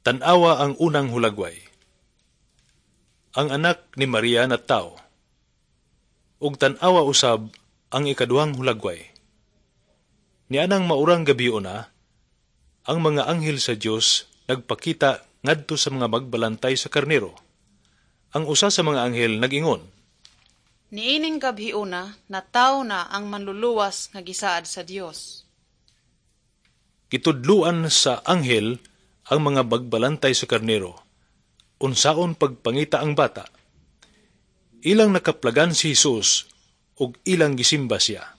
Tan-awa ang unang hulagway. Ang anak ni Maria natawo. Ug tan-awa usab ang ikaduhang hulagway. Nianang maurang gabiuna, ang mga anghel sa Dios nagpakita ngadto sa mga magbalantay sa karnero. Ang usa sa mga anghel nag-ingon, "Niining gabhiona natawo na ang Manluluwas nga gisaad sa Dios." Gitudluan sa anghel ang mga magbalantay sa karnero unsaon pagpangita ang bata. Ilang nakaplagan si Jesus ug ilang gisimba siya.